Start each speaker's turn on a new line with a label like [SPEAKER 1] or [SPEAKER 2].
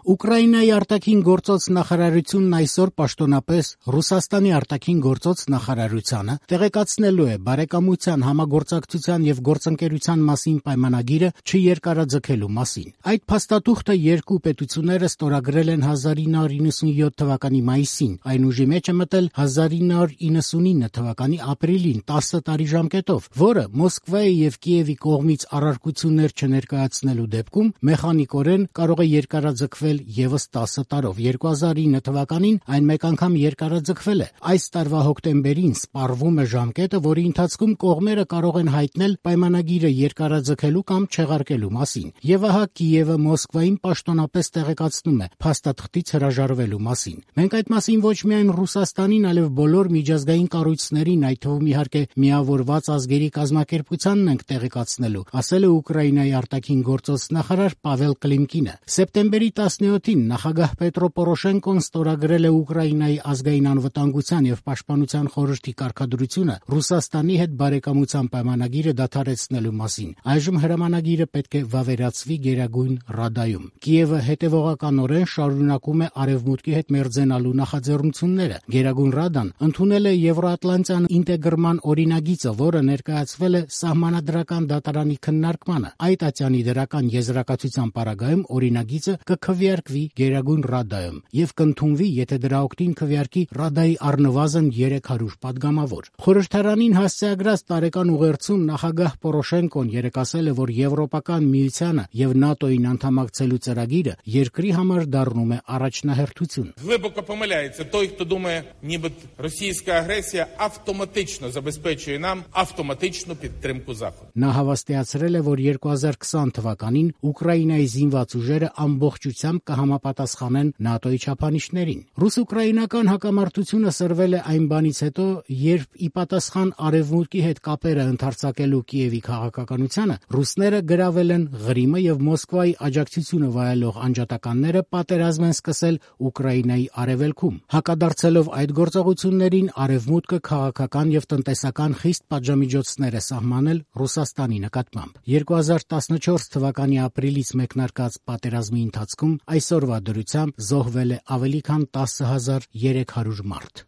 [SPEAKER 1] Ուկրաինայի արտաքին գործոց նախարարությունն այսօր պաշտոնապես Ռուսաստանի արտաքին գործոց նախարարությանը տեղեկացնելու է բարեկամության, համագործակցության եւ գործընկերության մասին պայմանագիրը չերկարաձգելու մասին։ Այդ փաստաթուղթը երկու պետությունները ստորագրել են 1997 թվականի մայիսին, այն ուժի մեջ է մտել 1999 թվականի ապրիլին 10 տարի ժամկետով, որը Մոսկվայի եւ Կիևի կողմից առարկություններ չներկայացնելու դեպքում մեխանիկորեն կարող է երկարաձգվել եւս 10 տարով։ 2009 թվականին այն մեկ անգամ երկարաձգվել է։ Այս տարվա հոկտեմբերին սպառվում է ժամկետը, որի ընթացքում կողմերը կարող են հայտնել պայմանագիրը երկարաձգելու կամ չեղարկելու մասին։ Եվ ահա Կիևը Մոսկվային պաշտոնապես տեղեկացնում է փաստաթղթից հրաժարվելու մասին։ Մենք այդ մասին ոչ միայն Ռուսաստանին, այլև բոլոր միջազգային կառույցներին, այդ թվում իհարկե Միավորված ազգերի կազմակերպությանն ենք տեղեկացնելու, ասել է Ուկրաինայի արտաքին գործոց նախարար Պավել Կլիմկինը։ Սեպտեմբերի 17-ին նախագահ Պետրո Պորոշենկոն ստորագրել է Ուկրաինայի ազգային անվտանգության եւ պաշտպանության խորհրդի կարգադրությունը Ռուսաստանի հետ բարեկամության պայմանագիրը դադարեցնելու մասին։ Այժմ հրամանագիրը պետք է վավերացվի Գերագույն Ռադայում։ Կիևը հետևողականորեն շարունակում է Արևմուտքի հետ մերձենալու նախաձեռնությունները։ Գերագույն Ռադան ընդունել է Եվրոատլանտյան ինտեգրման օրինագիծը, որը ներկայացվել է Սահմանադրական դատարանի քննարկմանը։ Այդ ատյանի դրական եզրակացության պարագայում օրինագիծը կքվեարկվի Գերագույն Ռադայում եւ կընդունվի, եթե դրա օգտին քվեարկի Ռադայի առնվազն 300 падգամավոր։ Խորհրդարանին հասցեագրած տարեկան ուղերձում նախագահ Պորոշենկոն երեկ ասել է, որ Եվրոպական միությանը եւ ՆԱՏՕ-ին անդամակցելու ծրագիրը երկրի համար դառնում է առաջնահերթություն։
[SPEAKER 2] Глибоко помиляється той, хто думає, ніби російська агресія автоматично забезпечує нам автоматичну підтримку Заходу.
[SPEAKER 1] Նա հավաստիացրել է, որ 2020 թվականին Ուկրաինայի զինված ուժերը ամբողջությամբ կհամապատասխանեն ՆԱՏՕ-ի չափանիշներին։ Ռուս-ուկրաինական հակամարտությունը սրվել է այն բանից հետո, երբ ի պատասխան Արևմուտքի հետ կապերը ընդարձակելու Կիևի քաղաքականությանը ռուսները գրավել են Ղրիմը եւ Մոսկվայի աջակցությունը վայելող անջատականները պատերազմ են սկսել Ուկրաինայի արևելքում։ Հակադարձելով այդ գործողություններին Արևմուտքը քաղաքական եւ տնտեսական խիստ պատժամիջոցներ է սահմանել Ռուսաստանի նկատմամբ։ 2014 թվականի ապրիլից մեկնարկած պատերազմի ընթացքում այսօրվա դրությամբ զոհվել է ավելի քան 10,300 մարդ։